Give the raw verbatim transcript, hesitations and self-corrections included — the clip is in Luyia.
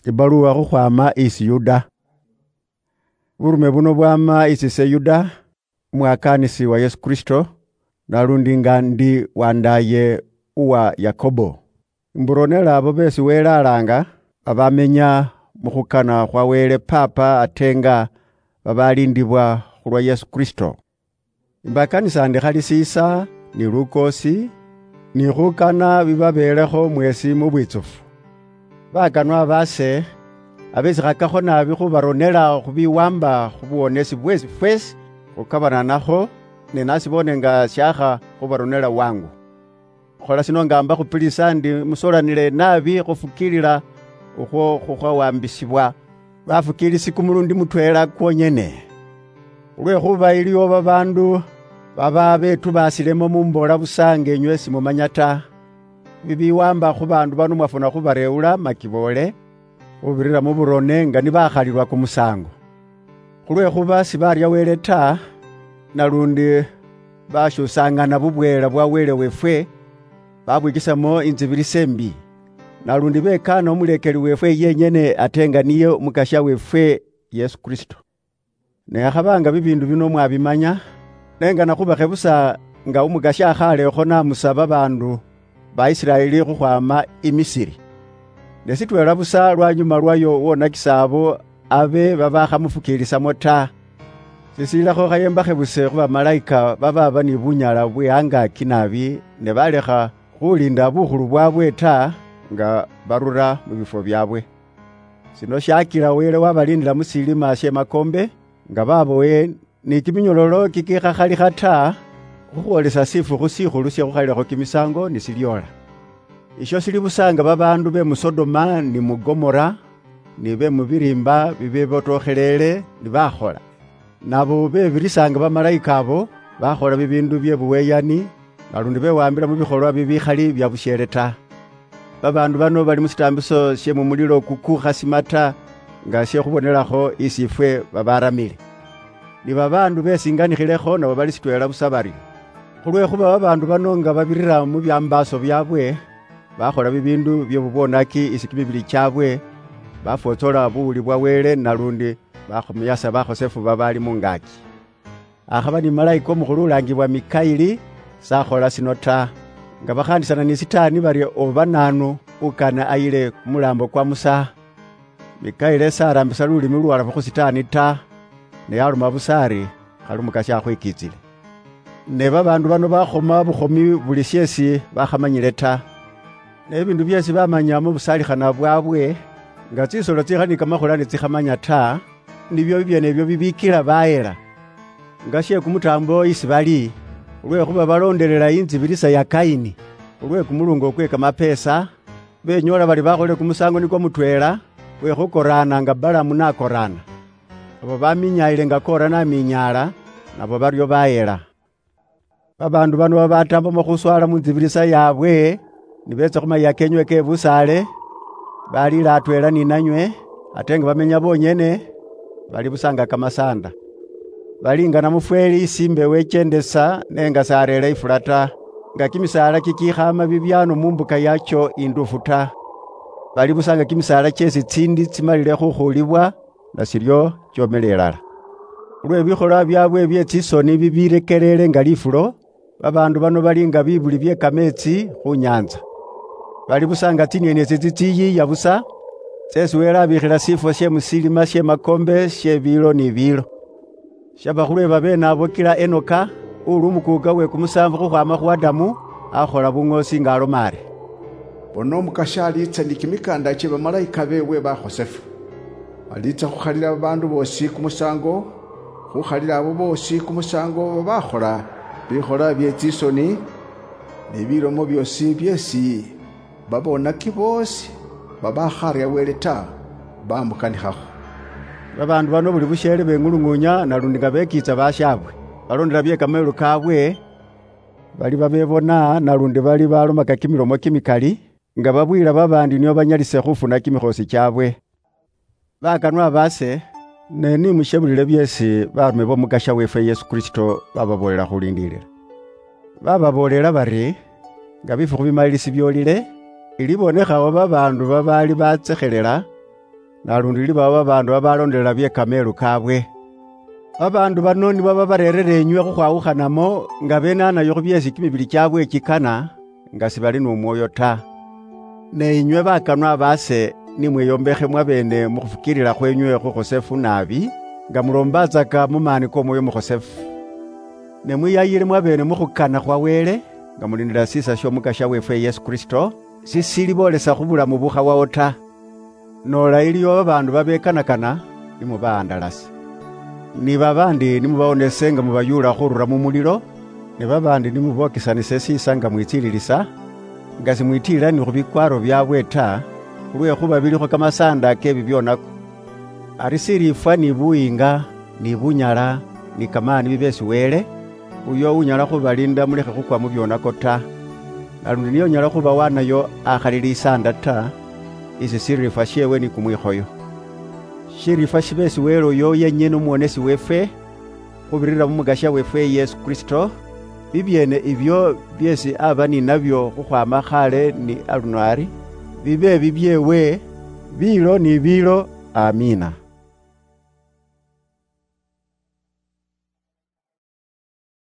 Ibaluwa khukhwama isi Yuda. Burume buno bwama isi se Yuda, umwakaanisi wa Yesu Kristo, nalundi nga ndi wandaaye uwa Yakobo. Mburonela abo beesi Wele alaanga, abamenya mu khukana khwa Wele Paapa ate nga babaalindibwa khulwa Yesu Kristo. Imbakaanisa ndi khali siisa, ni lukoosi, ni khukana bibabeelekho mweesi mu bwitsufu. Bakanwa baase, abesikhakakho naabi khubaronela khubiwamba khu buwonesi bweesi fweesi khukabananakho, ne nasiboone nga syakha khubaronela wangu. Khola sino nga mbakhupilisa ndi musolanile naabi khufukiilila ukhwo khukhwawambisibwa bafukiilisi kumulundi mutweela kwonyene. Khulwekhuba iliwo babaandu baba betubaasilemo mumboola busa nga enywe simumanya ta. Bibiwaamba khu baandu bano mwafuna khubareewula makiboole, khubirira mu burone nga nibakhalilwa kumusaango. Khulwekhuba sibaarya Wele ta, nalundi bashuusaangana bubweela bwa Wele weefwe, babwikisamo intsibirisa imbi, nalundi bekaana umuleekeli weefwe yenyene ate nga niye Umukasya weefwe Yesu Kristo. Ne akhabaanga bibiindu bino mwabimanya, nengana khubakhe busa nga Umukasya akhaalekho namusa babaandu ba Isiraeli khukhwama i Misiri. Ne sitweela busa lwanyuma lwayo wonakisa abo abe babakhamufukiilisamo ta. Sisiilakho khayembakhe buse khu bamalaika bababa ni bunyala bwe angaaki naabi, ne balekha khulinda bukhulu bwabwe ta, nga barura mu bifwo byabwe. Sino shakila Wele wabalindila mu silima she makombe, nga babowe ni kiminyololo kikikhakhalikha ta, khukhwolesa shifukhu shikhulu she khukhalilakho kimisango ni siliola. Isho sili busa nga babaandu be mu Sodoma ni mu Gomora, ni be mu biriimba bibibotokhelele ni bakhola. Nabo bebirisa nga bamalaika abo, bakhola bibiindu bye buweyani, nalundi bewambila mu bikholwa bibikhali bya busheele ta. Babaandu bano bali mu sitaambiso sye mu mulilo kukukhasima ta, nga sye khubonelakho isi ifwe babaramile. Ni babaandu besinganikhilekho nabo bali sitweela busa baryo. Khulwekhuba babaandu bano nga babirira mu byambaaso byaabwe, bakhola bibiindu bye bubwonaki isi kimibili kyaabwe, bafwotsola buwuli bwa Wele nalundi bakhumuyasa bakhosefu babaali mu ngaaki. Akhaba ni malaika omukhulu ulaangibwa Mikaili, sakhola sino ta. Nga bakhaandisana ni Sitaani bari oba naanu ukane ayile kumulaambo kwa Musa, Mikaili sarambisa lulimi luwalafu khu Sitaani ta, ne yaloma busa ari, "Khali Umukasya akhwikitsile." Ne babaandu bano bakhoma bukhomi buli sheesi bakhamanyile ta. Ne bibiindu byeesi bamanya mu busalikhana bwaabwe, nga tsisolo tsikha ni kamakhula nitsikhamanya ta, nibyo bibyeene ebyo bibiikila bayela. Nga she kumutaambo isi bali, khulwekhuba baloondelela intsibirisa ya Kaini, khulwe kumulungo kwe kamapeesa, benyoola bali bakholile kumusaango nikwo mutweela, kwe khukoraana nga Balamu nakoraana. Abo baminyaayile nga Kora naminyaala, nabo baryo bayela. Babaandu bano babataambamo khuswaala mu ntsibirisa yaabwe, nibeetsa khu mayia keenywe ke busaale, baliila atweela ni nanywe, ate nga bamenya bonyene, bali busa nga kamasaanda. Bali nga namufweeli isi imbewo ekyendesa, ne nga sareera ifula ta, nga kimisaala kikikhaama bibyaano mu mbuka yakyo induufu ta. Bali busa nga kimisaala kyeesi tsiindi tsimalile khukhuulibwa, nashiryo chomela ilala. Khulwe bikholwa byabwe bye tsisoni bibirekerere nga lifulo, babaandu bano bali nga bibuli bye kameetsi khu nyaantsa. Bali busa nga tsinyeni etsi tsitsiyiiya busa, tseesi Wele abiikhila shifwo she mu silima she makombe she biilo ni biilo. Shaba khulwe babeene abo kila Enoka, uli umukuuka we kumusaanvu khukhwaama khu Adamu, akhola buŋoosi nga aloma ari, "Bona Umukasya aliitsa ni kimikaanda kye bamalaika beewe bakhosefu. Aliitsa khukhalila babaandu boosi kumusaango, khukhalila abo boosi kumusaango babakhola bikhola bye tsisoni, ni bilomo byoosi byeesi babonaki boosi babakhaarya Wele ta, bamukanikhakho." Babaandu bano buli busheele beŋuluŋuunya nalundi nga bekiitsa bashaabwe, balondela bye kamayilu kaabwe, bali babebona nalundi bali balomaka kimilomo kimikali, nga babwiila babaandi nio banyalise khufuna kimikhoosi kyaabwe. Bakanwa baase, ne ni mushebulile byeesi baarume b'Omukasya weefwe Yesu Kristo bababoolela khulindiilila. Bababoolela bari, nga bifukhu bimalilisi byoolile, ilibonekhawo babaandu babaali batsekhelela, nalundi libaba babaandu babalondelela bye kameelu kaabwe. Babaandu bano nibo babareerere enywe khukhwawukhanamo, nga benanayo khu byeesi kimibili kyaabwe kikana, nga sibali n'omwoyo ta. Ne inywe bakanwa baase, ni mweyombekhe mwabeene mu khufukiilila khwenywe khukhosefu naabi, nga muloombatsaka mu maani k'Omwoyo Mukhosefu. Ne mwiyayile mwabeene mu khukana khwa Wele, nga mulindila siisa sy'Omukasya weefwe Yesu Kristo, sisiliboolesa khu bulamu bukhawawo ta. Noola iliyo babaandu babekanakana, ni mubaandalase. Ni babaandi ni mubawonese nga mubayuula khurura mu mulilo, ne babaandi ni mubokisanise siisa nga mwitsililisa, nga simwitiila ni khu bikwaaro byaabwe ta, khulwekhuba bilikho kamasaanda ke bibyonako. Ari siriifwa ni buyiinga, ni bunyala, ni kamaani bibe si Wele, uyo unyala khubaliinda mulekhe khukwa mu byonako ta. Nalundi niye unyala khubawanayo akhali lisaanda ta, isi siriifwa syeewe ni kumwikhoyo. Shiriifwa shibe si Wele uyo yenyene Umuwonesi weefwe, khubirira mu Mukasya weefwe Yesu Kristo, bibyeene ibyo byeesi aba ni nabyo khukhwaama khaale ni aluno ari, bibe bibyeewe, biilo ni biilo. Amiina.